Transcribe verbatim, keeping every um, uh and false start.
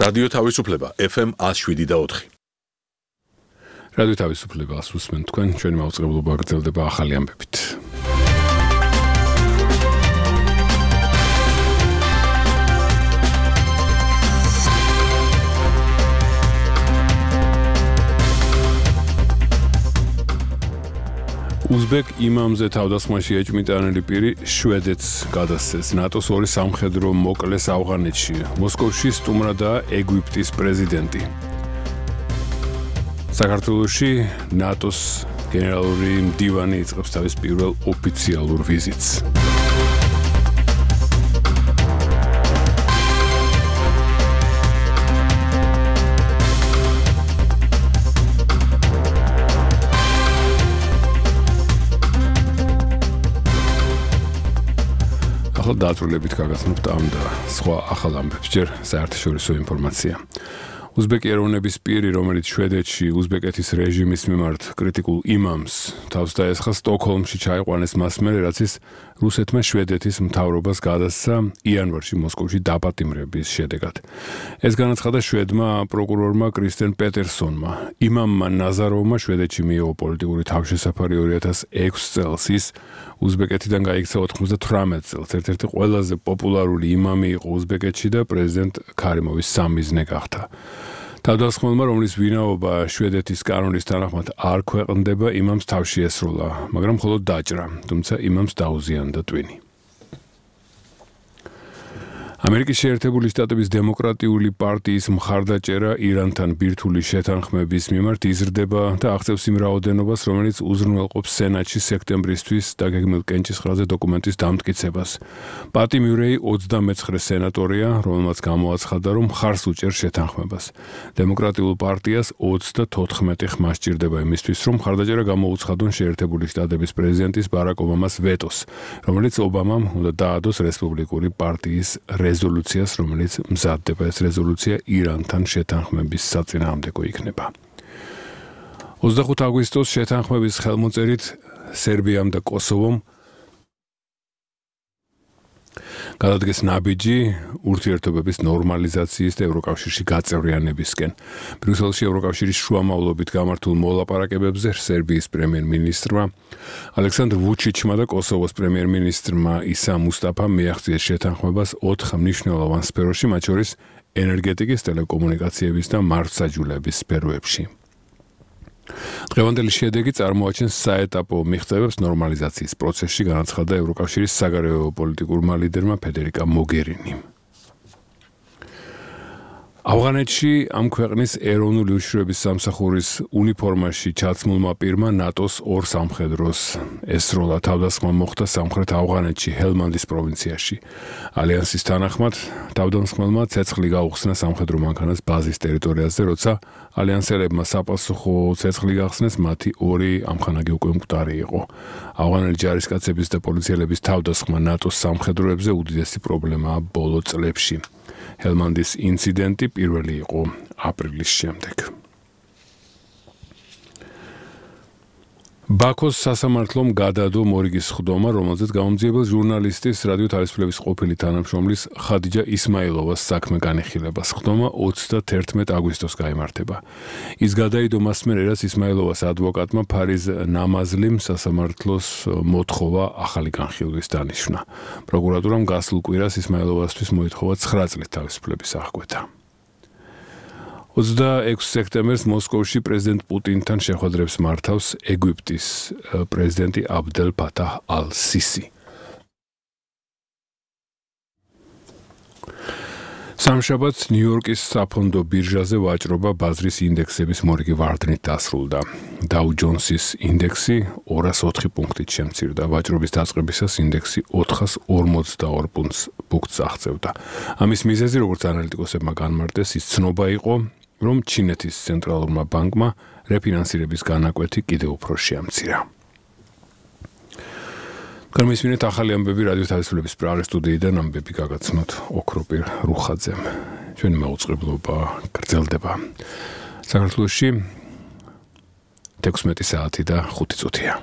რადიო თავისუფლება F M one oh seven და four. რადიო თავისუფლებას უსმენთ თქვენ, ჩვენი მაუწყებლობა გრძელდება ახალი ამბებით. უზბეკ იმამზე თავდასხმაში ეჭვმიტანილი პირი შვედეთს გადასცეს. ნატოს ორი სამხედრო მოკლეს ავღანეთში. მოსკოვში სტუმრადაა ეგვიპტის პრეზიდენტი. საქართველოში ნატოს გენერალური მდივანი იწყებს თავის პირველ ოფიციალურ ვიზიტს. ახლა დაწვრილებით გაგაცნობთ ამ და სხვა ახალ ამბებს. ჯერ საერთაშორისო ინფორმაცია. უზბეკი ეროვნების პირი, რომელიც შვედეთში უზბეკეთის რეჟიმის მიმართ კრიტიკულ იმამს თავს დაესხა, სტოკჰოლმში ჩაიყვანეს მას მერე, რაც ის რუსეთმა შვედეთის მთავრობას გადასცა იანვარში მოსკოვში დაპატიმრების შედეგად. ეს განაცხადა შვედმა პროკურორმა კრისტენ პეტერსონმა. იმამმა ნაზაროვმა შვედეთში მიიღო პოლიტიკური თავშესაფარი ორი ათას ექვსი წელს. ის უზბეკეთიდან გაიქცა ოცდათვრამეტ წელს. ერთ-ერთი ყველაზე პოპულარული იმამი იყო უზბეკეთში და პრეზიდენტ ქარიმოვის სამიზნე გახდა. თავდასხმელმა, რომლის ვინაობა შვედეთის კანონის თანახმად არ ქვეყნდება, იმამს თავში ესროლა, მაგრამ მხოლოდ დაჭრა, თუმცა იმამს დაუზიანდა ტვინი. ამერიკის შეერთებული შტატების დემოკრატიული პარტიის მხარდაჭერა ირანთან ბირთვული შეთანხმების მიმართ იზრდება და აღწევს იმ რაოდენობას, რომელიც უზრუნველყოფს სენატში სექტემბრისთვის დაგეგმილ კენჭისყრაზე დოკუმენტის დამტკიცებას. პატი მიურეი ოცდამეცხრე სენატორია, რომელმაც გამოაცხადა, რომ მხარს უჭერს შეთანხმებას. დემოკრატიულ პარტიას ოცდათოთხმეტი ხმა სჭირდება იმისთვის, რომ მხარდაჭერა გამოუცხადონ შეერთებული შტატების პრეზიდენტის ბარაკ ობამას ვეტოს, რომელიც ობამამ უნდა დაადოს რესპუბლიკური პარტიის რეზოლუციას, რომელიც მზადდება. ეს რეზოლუცია ირანთან შეთანხმების საწინააღმდეგო იქნება. ოცდახუთი აგვისტოს შეთანხმების ხელმოწერით სერბიამ და კოსოვომ გადადგეს ნაბიჯი ურთიერთობების ნორმალიზაციის და ევროკავშირში გაწევრიანებისკენ. ბრიუსელში ევროკავშირის შუამავლობით გამართულ მოლაპარაკებებზე სერბიის პრემიერ-მინისტრმა ალექსანდრ ვუჩიჩმა და კოსოვოს პრემიერ-მინისტრმა ისა მუსტაფამ მიაღწიეს შეთანხმებას ოთხ მნიშვნელოვან სფეროში, მათ შორის ენერგეტიკის, ტელეკომუნიკაციების და მართლმსაჯულების სფეროებში. დღევანდელი შედეგი წარმოაჩენს საეტაპო მიღწევებს ნორმალიზაციის პროცესში, განაცხადა ევროკავშირის საგარეო პოლიტიკურმა ლიდერმა ფედერიკა მოგერინიმ. ავღანეთში ამ ქვეყნის ეროვნული უშიშროების სამსახურის უნიფორმაში ჩაცმულმა პირმა ნატოს ორ სამხედროს ესროლა. თავდასხმა მოხდა სამხრეთ ავღანეთში, ჰელმანდის პროვინციაში. ალიანსის თანახმად, თავდამსხმელმა ცეცხლი გაუხსნა სამხედრო მანქანას ბაზის ტერიტორიაზე, როცა ალიანსელებმა საპასუხო ცეცხლი გახსნეს, მათი ორი ამხანაგი უკვე მკვდარი იყო. ავღანელი ჯარისკაცების და პოლიციელების თავდასხმა ნატოს სამხედროებზე უდიდესი პრობლემაა ბოლო წლებში. ჰელმანდის ინციდენტი პირველი იყო აპრილის შემდეგ. ბაქოს სასამართლომ გადადო მორიგის ხდომა, რომელზეც გამომძიებელ ჟურნალისტის რადიო თავისუფლების ყოფილი თანამშრომლის ხადიჯა ისმაილოვას საქმე განიხილებას. ხდომა ოცდათერთმეტ აგვისტოს გაიმართება. ის გადაიდო მას მერე, რაც ისმაილოვას ადვოკატმა ფარიზ ნამაზლიმ სასამართლოს მოთხოვა ახალი განხილვის დანიშვნა. პროკურატურამ გასულ კვირას ისმაილოვასთვის მოითხოვა ცხრა წლის თავისუფლების აღკვეთა. ოცდაექვსი სექტემბერს მოსკოვში პრეზიდენტ პუტინთან შეხვედრებს მართავს ეგვიპტის პრეზიდენტი აბდელ ფათაჰ ალ-სისი. სამშაბათს ნიუ-იორკის საფონდო ბირჟაზე ვაჭრობა ბაზრის ინდექსების მორიგი ვარდნით დასრულდა. დაუ ჯონსის ინდექსი ორას ოთხი პუნქტით შემცირდა. ვაჭრობის დაწყებისას ინდექსი ოთხას ორმოცდაორ პუნქტს აღწევდა. ამის მიზეზი, როგორც ანალიტიკოსებმა განმარტეს, ის ცნობა იყო, რომ ჩინეთის ცენტრალურმა ბანკმა რეფინანსირების განაკვეთი კიდევ უფრო შეამცირა. გამისმინეთ ახალი ამბები რადიო თავისუფლების პრაღის სტუდიიდან, ამბები გაგაცნოთ ოქროპირ რუხაძემ. ჩვენი მაუწყებლობა გრძელდება. საქართველოში თექვსმეტი საათი და ხუთი წუთია.